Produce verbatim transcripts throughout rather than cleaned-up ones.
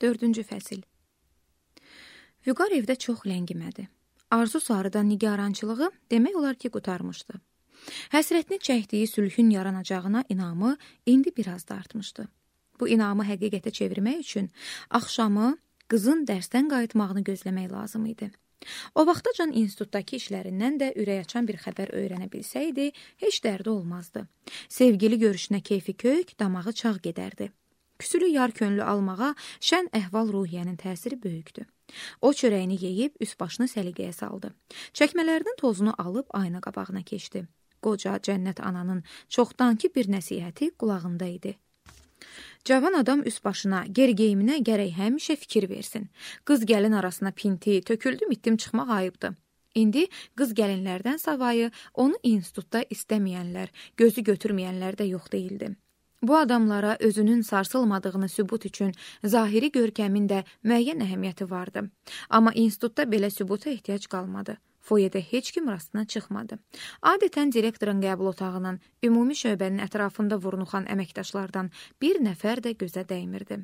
Dördüncü fəsil. Vüqar evdə çox ləngimədi. Arzu sarıdan nigarançılığı demək olar ki, qutarmışdı. Həsrətini çəkdiyi sülhün yaranacağına inamı indi biraz da artmışdı. Bu inamı həqiqətə çevirmək üçün axşamı qızın dərsdən qayıtmağını gözləmək lazım idi. O vaxtacan institutdakı işlərindən də ürək açan bir xəbər öyrənə bilsəydi, heç dərdi olmazdı. Sevgili görüşünə keyfi kök, damağı çağ gedərdi. Küsülü yar könlü almağa şən əhval ruhiyyənin təsiri böyükdü. O çörəyini yeyib üst başını səliqəyə saldı. Çəkmələrinin tozunu alıb ayna qabağına keçdi. Qoca cənnət ananın çoxdankı bir nəsihəti qulağında idi. Cavan adam üst başına, gerigeyiminə gərək həmişə fikir versin. Qız gəlin arasına pinti, töküldüm itdim çıxmaq ayıbdır. İndi qız gəlinlərdən savayı onu institutda istəməyənlər, gözü götürməyənlər də yox deyildi. Bu adamlara özünün sarsılmadığını sübut üçün zahiri görkəmin də müəyyən əhəmiyyəti vardı. Amma institutda belə sübuta ehtiyac qalmadı. Foyedə heç kim rastına çıxmadı. Adətən direktorun qəbul otağının, ümumi şöbənin ətrafında vurnuxan əməkdaşlardan bir nəfər də gözə dəymirdi.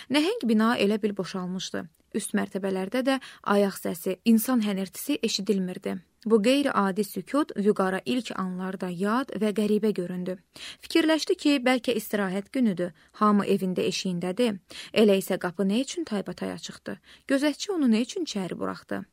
Nəhəng bina elə bil boşalmışdı. Üst mərtəbələrdə də ayaq səsi, insan hənirtisi eşidilmirdi. Bu qeyri-adi sükut Vüqara ilk anlarda yad və qəribə göründü. Fikirləşdi ki, bəlkə istirahət günüdür, hamı evində eşiyindədir. Elə isə qapı nə üçün taybatay açıqdı? Gözətçi onu nə üçün içəri buraxdı?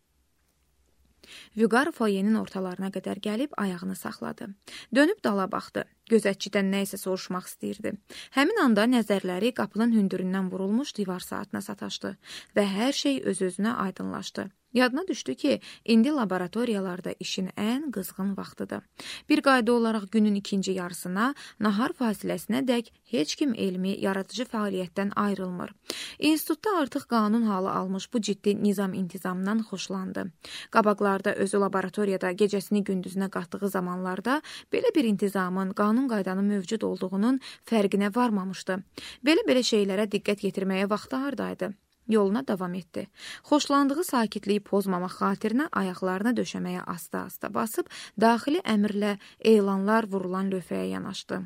Vüqar foyenin ortalarına qədər gəlib ayağını saxladı. Dönüb dala baxdı. Gözətçidən nə isə soruşmaq istəyirdi. Həmin anda nəzərləri qapının hündüründən vurulmuş divar saatına sataşdı və hər şey öz-özünə aydınlaşdı. Yadına düşdü ki, indi laboratoriyalarda işin ən qızğın vaxtıdır. Bir qayda olaraq günün ikinci yarısına, nahar fasiləsinə dək heç kim elmi, yaradıcı fəaliyyətdən ayrılmır. İnstitutda artıq qanun halı almış bu ciddi nizam-intizamdan xoşlandı. Qabaqlarda özü laboratoriyada gecəsini gündüzünə qatdığı zamanlarda belə bir intizamın, qanun qaydanın mövcud olduğunun fərqinə varmamışdı. Belə-belə şeylərə diqqət yetirməyə vaxtı hardaydı. Yoluna davam etdi. Xoşlandığı sakitliyi pozmamaq xatirinə ayaqlarını döşəməyə asta-asta basıb, daxili əmrlə elanlar vurulan lövhəyə yanaşdı.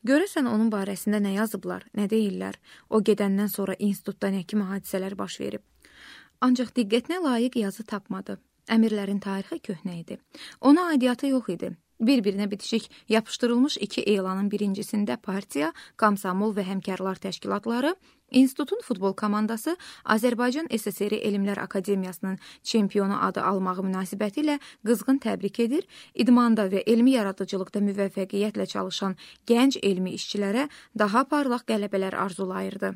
Görəsən onun barəsində nə yazıblar, nə deyirlər? O gedəndən sonra institutda nə kimi hadisələr baş verib? Ancaq diqqətinə layiq yazı tapmadı. Əmirlərin tarixi köhnə idi. Ona aidiyyatı yox idi. Bir-birinə bitişik yapışdırılmış iki elanın birincisində partiya, komsomol və həmkarlar təşkilatları, institutun futbol komandası Azərbaycan S S R Elmlər Akademiyasının çempionu adı almağı münasibətilə qızğın təbrik edir, idmanda və elmi yaradıcılıqda müvəffəqiyyətlə çalışan gənc elmi işçilərə daha parlaq qələbələr arzulayırdı.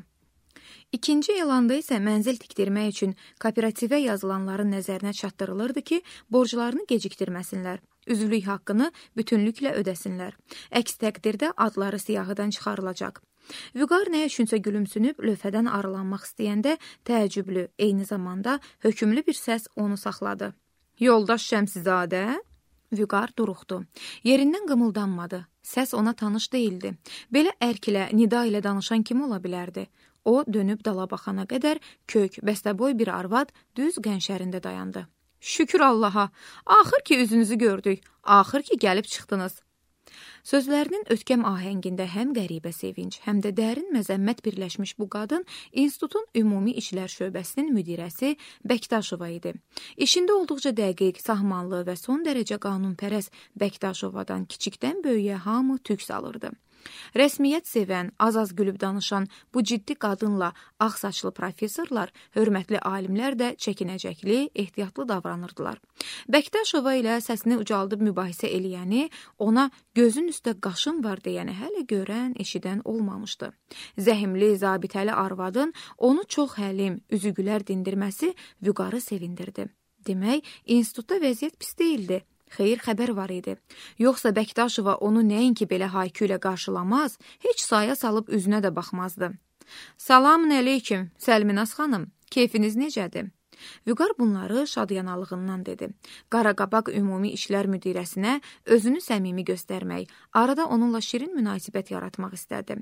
İkinci elanda isə mənzil tikdirmək üçün kooperativə yazılanların nəzərinə çatdırılırdı ki, borclarını gecikdirməsinlər, üzvlük haqqını bütünlüklə ödəsinlər. Əks təqdirdə adları siyahıdan çıxarılacaq. Vüqar nə üçünsə gülümsünüb lövhədən aralanmaq istəyəndə təəccüblü, eyni zamanda hökümlü bir səs onu saxladı. Yoldaş Şəmsizadə? Vüqar duruxdu. Yerindən qımıldanmadı. Səs ona tanış deyildi. Belə ərk ilə, nida ilə danışan kim ola bilərdi? O, dönüb dala baxana qədər kök, bəstəboy bir arvad düz qənşərində dayandı. Şükür Allaha, axır ki üzünüzü gördük, axır ki gəlib çıxdınız. Sözlərinin ötkəm ahəngində həm qəribə sevinç, həm də dərin məzəmmət birləşmiş bu qadın institutun ümumi işlər şöbəsinin müdirəsi Bəktaşova idi. İşində olduqca dəqiq, sahmanlı və son dərəcə qanunpərəst Bəktaşovadan kiçikdən böyüyə hamı tük salırdı. Rəsmiyyət sevən, az-az gülüb danışan bu ciddi qadınla ağ saçlı professorlar, hörmətli alimlər də çəkinəcəkli, ehtiyatlı davranırdılar. Bəktaşova ilə səsini ucaldıb mübahisə eləyəni, ona gözün üstə qaşın var deyəni hələ görən, eşidən olmamışdı. Zəhimli, zabitəli arvadın onu çox həlim, üzügülər dindirməsi Vüqarı sevindirdi. Demək, institutda vəziyyət pis deyildi. Xeyir xəbər var idi. Yoxsa Bəktaşova onu nəinki belə haykü ilə qarşılamaz, heç saya salıb üzünə də baxmazdı. Salamün əleyküm, Səlminaz xanım, keyfiniz necədir? Vüqar bunları şadyanalığından dedi. Qaraqabaq ümumi işlər müdirəsinə özünü səmimi göstərmək, arada onunla şirin münasibət yaratmaq istədi.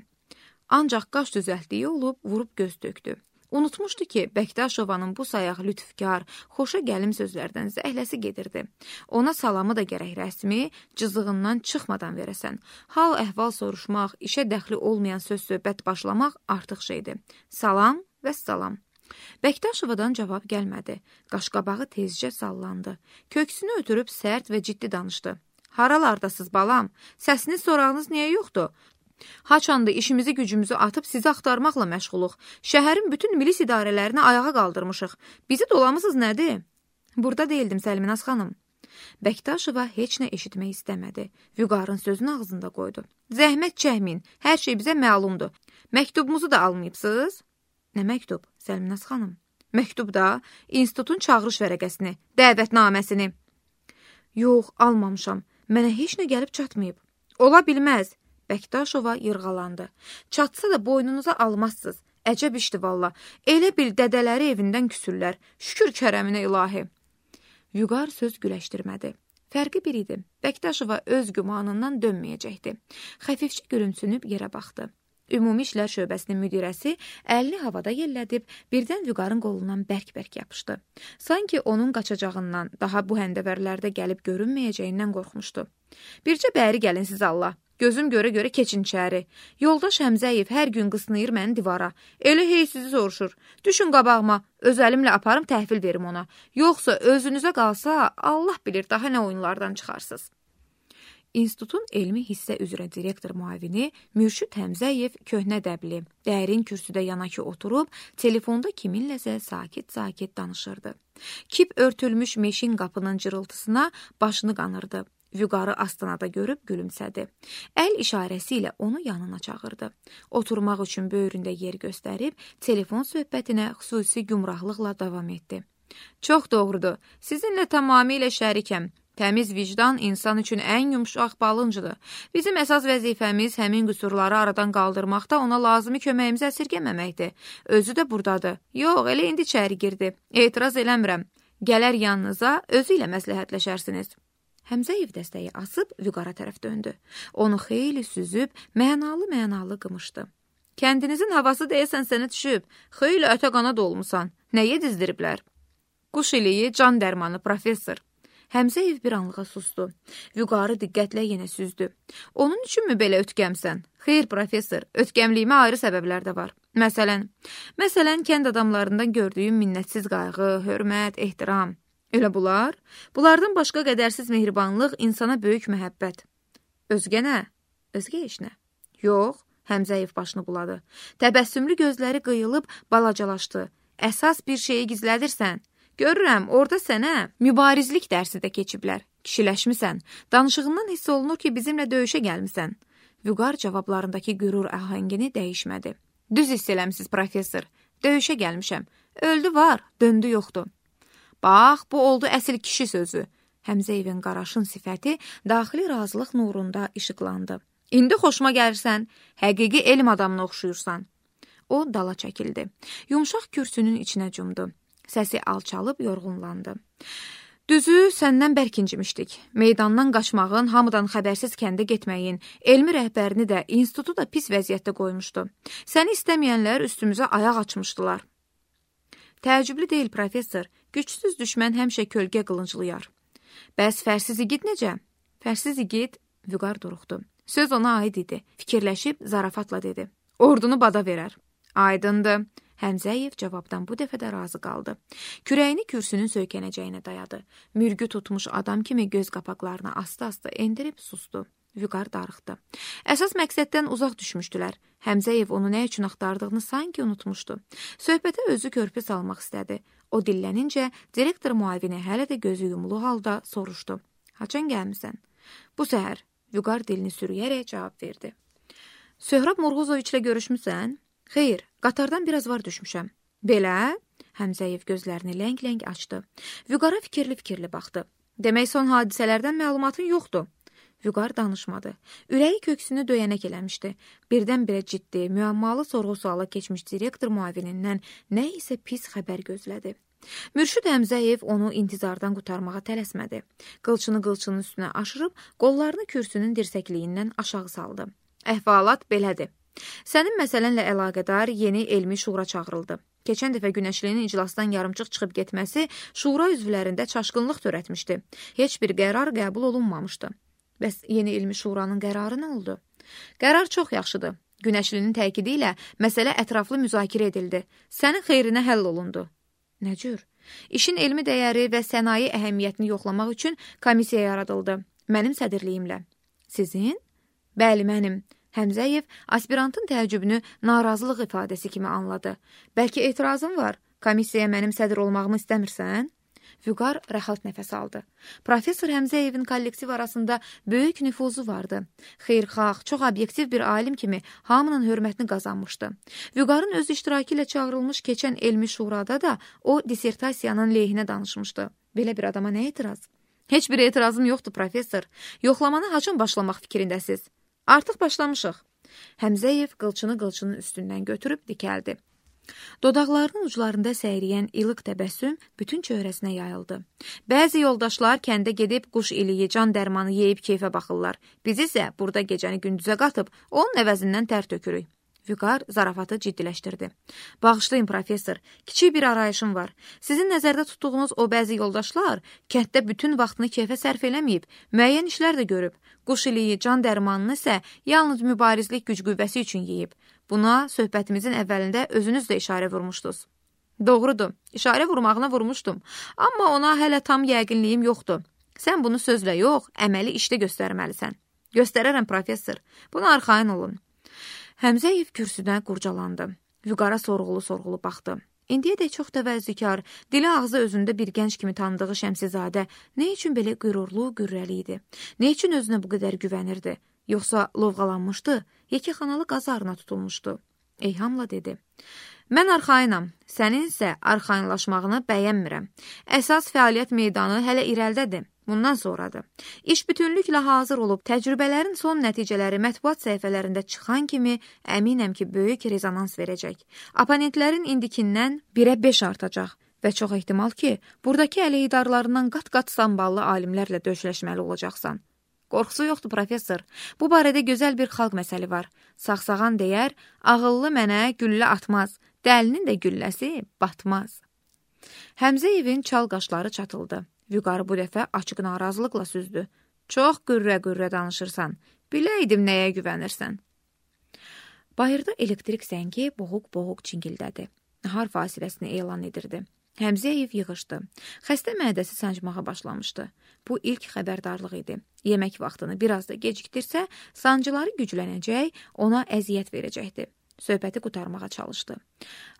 Ancaq qaş düzəltdiyi olub, vurub göz tökdü. Unutmuşdu ki, Bəktaşovanın bu sayaq lütfkar, xoşa gəlim sözlərdən zəhləsi gedirdi. Ona salamı da gərək rəsmi, cızığından çıxmadan verəsən. Hal əhval soruşmaq, işə dəxli olmayan söz-söhbət başlamaq artıq şeydir. Salam, Vəssalam. Bəktaşovadan cavab gəlmədi. Qaşqabağı tezcə sallandı. Köksünü ötürüb sərt və ciddi danışdı. Haralardasız balam? Səsiniz sorağınız niyə yoxdur? Haçanda işimizi gücümüzü atıb sizi axtarmaqla məşğuluq. Şəhərin bütün milis idarələrini ayağa qaldırmışıq. Bizi dolamısınız nədir? Burada deyildim Səlminaz xanım. Bəktaşova heç nə eşitmək istəmədi. Vüqarın sözünü ağzında qoydu. Zəhmət çəkməyin, hər şey bizə məlumdur. Məktubumuzu da almayıbsınız? Nə məktub, Səlminaz xanım? Məktub da, institutun çağırış vərəqəsini, dəvətnaməsini. Yox, almamışam. Mənə heç nə gəlib çatmayıb. Ola bilməz. Bəktaşova yırğalandı. Çatsa da boynunuza almazsınız. Əcəb işdi valla. Elə bil dədələri evindən küsürlər. Şükür kərəminə ilahi. Vüqar söz güləşdirmədi. Fərqi bir idi. Bəktaşova öz gümanından dönməyəcəkdi. Xəfifcə gülümsünüb yerə baxdı. Ümumi İşlər Şöbəsinin müdirəsi əlini havada yellədib, birdən Vüqarın qolundan bərk-bərk yapışdı. Sanki onun qaçacağından, daha bu həndəvərlərdə gəlib görünməyəcəyindən qorxmuşdu. Bircə bəri gəlin siz Allah. Gözüm görə-görə keçin içəri. Yoldaş Həmzəyev hər gün qısnayır məni divara. Elə hey sizi soruşur. Düşün qabağıma, öz əlimlə aparım təhvil verim ona. Yoxsa özünüzə qalsa, Allah bilir daha nə oyunlardan çıxarsınız. İnstitutun elmi hissə üzrə direktor müavini Mürşid Həmzəyev köhnə dəbli, dərin kürsüdə yanakı oturub, telefonda kiminləsə sakit-sakit danışırdı. Kip örtülmüş meşin qapının cırıltısına başını qanırdı. Vüqarı astanada görüb gülümsədi. Əl işarəsi ilə onu yanına çağırdı. Oturmaq üçün böyründə yer göstərib, telefon söhbətinə xüsusi gümrahlıqla davam etdi. Çox doğrudur, sizinlə tamamilə şərikəm. Təmiz vicdan insan üçün ən yumşaq balıncıdır. Bizim əsas vəzifəmiz həmin qüsurları aradan qaldırmaqda ona lazımi köməyimizi əsirgəməməkdir. Özü də buradadır. Yox, elə indi içəri girdi. Etiraz eləmirəm. Gələr yanınıza, özü ilə məsləhətləşərsiniz. Həmzəyev dəstəyi asıb Vüqara tərəf döndü. Onu xeyli süzüb, mənalı-mənalı qımışdı. Kəndinizin havası deyəsən sənə düşüb. Xeyli ətə qana dolmusan. Nəyə dizdiriblər? Quş iliyi, can dərmanı, professor. Həmzəyev bir anlığa sustu. Vüqarı diqqətlə yenə süzdü. Onun üçünmü belə ötkəmsən? Xeyr, professor, ötkəmliyimə ayrı səbəblər də var. Məsələn, məsələn, kənd adamlarından gördüyüm minnətsiz qayğı, hörmət, ehtiram. Elə bunlar? Bunlardan başqa qədərsiz mehribanlıq, insana böyük məhəbbət. Özgə nə? Özgə iş nə? Yox, Həmzəyev başını buladı. Təbəssümlü gözləri qıyılıb balacalaşdı. Əsas bir şeyi gizlədirsən. Görürəm, orada sənə mübarizlik dərsi də keçiblər. Kişiləşmisən. Danışığından hiss olunur ki, bizimlə döyüşə gəlmisən. Vüqar cavablarındakı qürur əhəngini dəyişmədi. Düz hiss eləmsiz, professor. Döyüşə gəlmişəm. Öldü var, döndü yoxdur. Bax, bu oldu əsil kişi sözü. Həmzəyevin qaraşın sifəti daxili razılıq nurunda işıqlandı. İndi xoşuma gəlirsən, həqiqi elm adamına oxşuyursan. O dala çəkildi. Yumşaq kürsünün içinə cumdu. Səsi alçalıb yorğunlandı. Düzü, səndən bərk incimişdik. Meydandan qaçmağın, hamıdan xəbərsiz kəndə getməyin, elmi rəhbərini də, institutu da pis vəziyyətdə qoymuşdu. Səni istəməyənlər üstümüzə ayaq açmışdılar. Təəccüblü deyil, professor. Gücsüz düşmən həmişə kölgə qılınclayar. Bəs fərsiz igid necə? Fərsiz igid, Vüqar duruxdu. Söz ona aid idi. Fikirləşib zarafatla dedi. Ordunu bada verər. Aydındır. Həmzəyev cavabdan bu dəfə də razı qaldı. Kürəyini kürsünün söykənəcəyinə dayadı. Mürgü tutmuş adam kimi göz qapaqlarını asta-asta endirib sustu. Vüqar darıxdı. Əsas məqsəddən uzaq düşmüşdülər. Həmzəyev onu nə üçün axtardığını sanki unutmuşdu. Söhbətə özü körpü salmaq istədi. O dillənincə direktor müavini hələ də gözü yumulu halda soruşdu. Haçan gəlmisən? Bu səhər. Vüqar dilini sürüyərək cavab verdi. Söhrab Murğuzoviçlə görüşmüsən? Xeyr, qatardan biraz var düşmüşəm. Belə? Həmzəyev gözlərini ləng-ləng açdı. Vüqara fikirli-fikirli baxdı. Demək son hadisələrdən məlumatın yoxdur. Vüqar danışmadı. Ürəyi köksünü döyənək eləmişdi. Birdən-birə ciddi, müəmmalı sorğu-suala keçmiş direktor müavinindən nə isə pis xəbər gözlədi. Mürşid Həmzəyev onu intizardan qurtarmağa tələsmədi. Qılçını qılçının üstünə aşırıb, qollarını kürsünün dirsəkliyindən aşağı saldı. Əhvalat belədir. Sənin məsələnlə əlaqədar yeni elmi şura çağırıldı. Keçən dəfə Günəşlinin iclasdan yarımçıq çıxıb getməsi şura üzvlərində çaşqınlıq törətmişdi. Heç bir qərar qəbul olunmamışdı. Bəs yeni elmi şuranın qərarı nə oldu? Qərar çox yaxşıdır. Günəşlinin təkidi ilə məsələ ətraflı müzakirə edildi. Sənin xeyrinə həll olundu. Nə cür? İşin elmi dəyəri və sənaye əhəmiyyətini yoxlamaq üçün komissiya yaradıldı. Mənim sədrliyimlə. Sizin? Bəli, mənim. Həmzəyev aspirantın təəccübünü narazılıq ifadəsi kimi anladı. Bəlkə etirazın var? Komissiyaya mənim sədr olmağımı istəmirsən? Vüqar rahat nəfəs aldı. Professor Həmzəyevin kollektiv arasında böyük nüfuzu vardı. Xeyirxah, çox obyektiv bir alim kimi hamının hörmətini qazanmışdı. Vüqarın öz iştirakı ilə çağırılmış keçən elmi şurada da o dissertasiyanın lehinə danışmışdı. Belə bir adama nə etiraz? Heç bir etirazım yoxdur, professor. Yoxlamanı haçan başlamaq fikrindəsiz? Artıq başlamışıq. Həmzəyev qılçını qılçının üstündən götürüb dikəldi. Dodaqlarının uclarında səyriyən ilıq təbəssüm bütün çöhrəsinə yayıldı. Bəzi yoldaşlar kəndə gedib quş iliyi, can dərmanı yeyib keyfə baxırlar. Biz isə burada gecəni gündüzə qatıb, onun əvəzindən tər tökürük. Vüqar zarafatı ciddiləşdirdi. Bağışlayın, professor, kiçik bir arayışım var. Sizin nəzərdə tutduğunuz o bəzi yoldaşlar kənddə bütün vaxtını keyfə sərf eləməyib, müəyyən işlər də görüb. Quş iliyi, can dərmanını isə yalnız mübarizlik güc qüvvəsi üçün yeyib. Buna söhbətimizin əvvəlində özünüz də işarə vurmuşdunuz. Doğrudur, işarə vurmağına vurmuşdum, amma ona hələ tam yəqinliyim yoxdur. Sən bunu sözlə yox, əməli işdə göstərməlisən. Göstərərəm, professor, buna arxayın olun. Həmzəyev kürsüdən qurcalandı. Vüqara sorğulu-sorğulu baxdı. İndiyədək çox təvəzzükar, dili ağzı özündə bir gənc kimi tanıdığı Şəmsizadə nə üçün belə qürurlu, qürrəli idi? Nə üçün özünə bu qədər güvənirdi? Yoxsa lovğalanmışdı, yekəxanalı qazarına tutulmuşdu. Eyhamla dedi. Mən arxayınam, sənin isə arxayınlaşmağını bəyənmirəm. Əsas fəaliyyət meydanı hələ irəldədir. Bundan sonradır. İş bütünlüklə hazır olub, təcrübələrin son nəticələri mətbuat səhifələrində çıxan kimi əminəm ki, böyük rezonans verəcək. Oponentlərin indikindən birə beş artacaq və çox ehtimal ki, buradakı əleyhidarlarından qat-qat samballı alimlərlə döyüşləşməli olacaqsan. Qorxusu yoxdur, professor. Bu barədə gözəl bir xalq məsəli var. Sağsağan deyər, ağıllı mənə güllə atmaz, dəlinin də gülləsi batmaz. Həmzəyevin çal qaşları çatıldı. Vüqarı bu dəfə açıq narazılıqla süzdü. Çox qürrə-qürrə danışırsan. Biləydim nəyə güvənirsən. Bayırda elektrik zəngi boğuq-boğuq çingildədi. Nahar fasiləsini elan edirdi. Həmzəyev yığışdı. Xəstə mədəsi sancmağa başlamışdı. Bu ilk xəbərdarlıq idi. Yemək vaxtını biraz da gecikdirsə, sancıları güclənəcək, ona əziyyət verəcəkdi. Söhbəti qutarmağa çalışdı.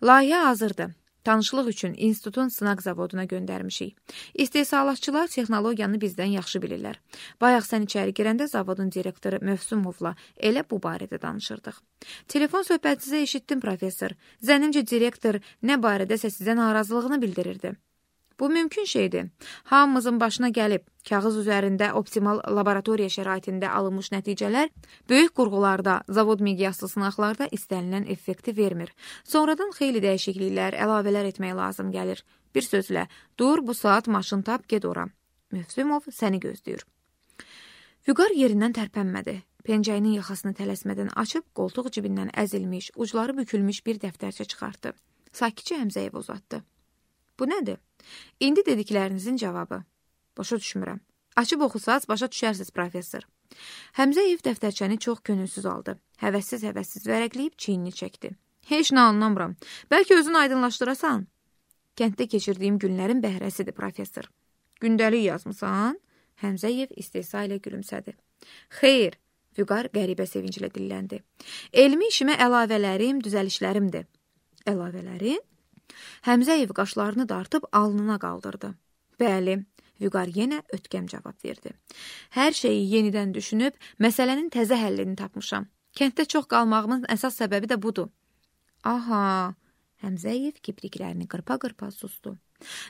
Layihə hazırdı. Tanışlıq üçün institutun sınaq zavoduna göndərmişik. İstehsalatçılar texnologiyanı bizdən yaxşı bilirlər. Bayaq sən içəri girəndə zavodun direktoru Mövsumovla elə bu barədə danışırdıq. Telefon söhbəti sizə eşitdim, professor. Zənnimcə direktor nə barədəsə sizə narazılığını bildirirdi. Bu mümkün şeydir. Hamımızın başına gəlib, kağız üzərində optimal laboratoriya şəraitində alınmış nəticələr böyük qurğularda, zavod miqyaslı sınaqlarda istənilən effekti vermir. Sonradan xeyli dəyişikliklər, əlavələr etmək lazım gəlir. Bir sözlə, dur bu saat maşın tap, get ora. Mövsümov səni gözləyir. Vüqar yerindən tərpənmədi. Pencəyinin yaxasını tələsmədən açıb, qoltuq cibindən əzilmiş, ucları bükülmüş bir dəftərçə çıxartdı. Sakitcə Həmzəyev uzatdı. Bu nədir? İndi dediklərinizin cavabı. Başa düşmürəm. Açıb oxusaz, başa düşərsiz, professor. Həmzəyev dəftərçəni çox könülsüz aldı. Həvəssiz-həvəssiz vərəqləyib çiynini çəkdi. Heç nə anlamıram. Bəlkə özünü aydınlaşdırasan? Kənddə keçirdiyim günlərin bəhrəsidir, professor. Gündəlik yazmısan? Həmzəyev istehza ilə gülümsədi. Xeyr, Vüqar qəribə sevinclə dilləndi. Elmi işimə əlavələrim, düzəlişlərimdir. Əlavələrin? Həmzəyev qaşlarını dartıb alnına qaldırdı. Bəli, Vüqar yenə ötkəm cavab verdi. Hər şeyi yenidən düşünüb, məsələnin təzə həllini tapmışam. Kənddə çox qalmağımın əsas səbəbi də budur. Aha, Həmzəyev kipriklərini qırpa-qırpa sustu.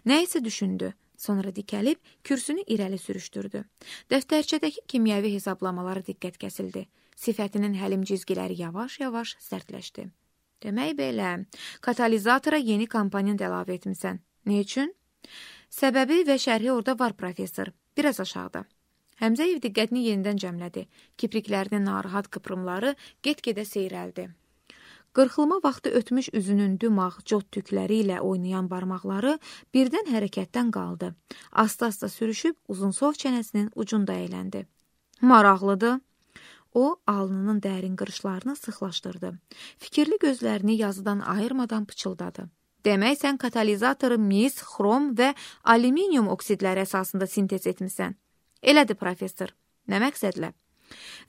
Nə isə düşündü, sonra dikəlib kürsünü irəli sürüşdürdü. Dəftərçədəki kimyəvi hesablamaları diqqət kəsildi. Sifətinin həlim cizgiləri yavaş-yavaş sərtləşdi. Demək belə, katalizatora yeni komponent əlavə etmisən. Ne üçün? Səbəbi və şərhi orada var, professor. Biraz aşağıda. Həmzəyev diqqətini yenidən cəmlədi. Kipriklərinin narahat qıprımları get-gedə seyrəldi. Qırxılma vaxtı ötmüş üzünün dümağ, cot tükləri ilə oynayan barmaqları birdən hərəkətdən qaldı. Asta-asta sürüşüb uzunsov çənəsinin ucunda əyləndi. Maraqlıdır. O, alnının dərin qırışlarını sıxlaşdırdı. Fikirli gözlərini yazıdan ayırmadan pıçıldadı. Demək, sən katalizatoru mis, xrom və alüminium oksidləri əsasında sintez etmisən. Elədir, professor. Nə məqsədlə?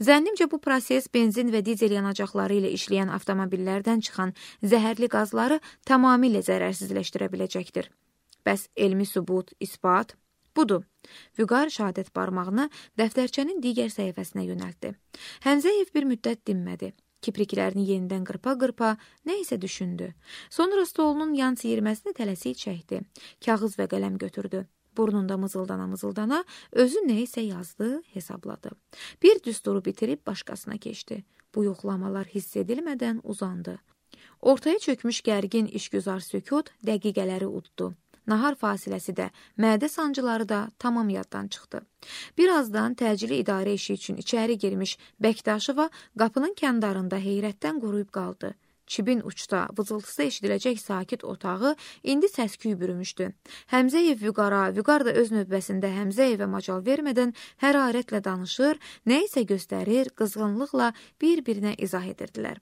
Zənnimcə bu proses benzin və dizel yanacaqları ilə işləyən avtomobillərdən çıxan zəhərli qazları tamamilə zərərsizləşdirə biləcəkdir. Bəs elmi sübut, isbat? Budur. Vüqar şəhadət barmağını dəftərçənin digər səhifəsinə yönəltdi. Həmzəyev bir müddət dinmədi. Kipriklərini yenidən qırpa-qırpa nə isə düşündü. Sonra stolunun yan siyirməsini tələsik çəkdi. Kağız və qələm götürdü. Burnunda mızıldana-mızıldana özü nə isə yazdı, hesabladı. Bir düsturu bitirib başqasına keçdi. Bu yoxlamalar hiss edilmədən uzandı. Ortaya çökmüş gərgin işgüzar sükut dəqiqələri uddu. Nahar fasiləsi də, mədə sancıları da tamam yaddan çıxdı. Birazdan təcili idarə işi üçün içəri girmiş Bəktaşova qapının kəndarında heyrətdən quruyub qaldı. Çibin uçda, vızıltısı eşidiləcək sakit otağı indi səs-küy bürümüşdü. Həmzəyev Vüqara, Vüqar da öz növbəsində Həmzəyevə macal vermədən hərarətlə danışır, nə isə göstərir, qızğınlıqla bir-birinə izah edirdilər.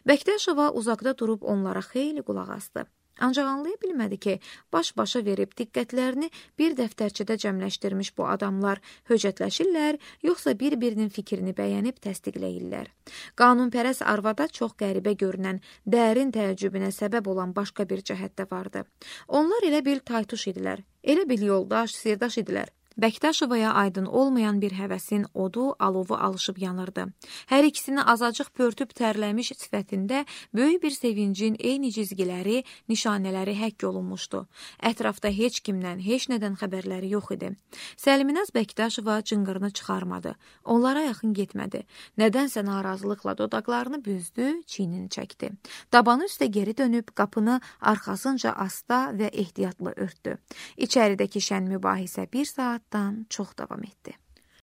Bəktaşova uzaqda durub onlara xeyli qulaq asdı. Ancaq anlaya bilmədi ki, baş-başa verib diqqətlərini bir dəftərçədə cəmləşdirmiş bu adamlar höcətləşirlər, yoxsa bir-birinin fikrini bəyənib təsdiqləyirlər. Qanunpərəst arvada çox qəribə görünən, dərin təəccübünə səbəb olan başqa bir cəhət də vardı. Onlar elə bil taytuş idilər, elə bil yoldaş, sirdaş idilər. Bəktaşovaya aydın olmayan bir həvəsin odu, alovu alışıb yanırdı. Hər ikisini azacıq pörtüb tərləmiş sifətində böyük bir sevincin eyni cizgiləri, nişanələri həkk olunmuşdu. Ətrafda heç kimdən, heç nədən xəbərləri yox idi. Səlminaz Bəktaşova cınqırını çıxarmadı. Onlara yaxın getmədi. Nədənsə narazılıqla dodaqlarını büzdü, çiynini çəkdi. Dabanı üstə geri dönüb qapını arxasınca asta və ehtiyatla örtdü. İçəridəki şən mübahisə bir saat çox davam etdi.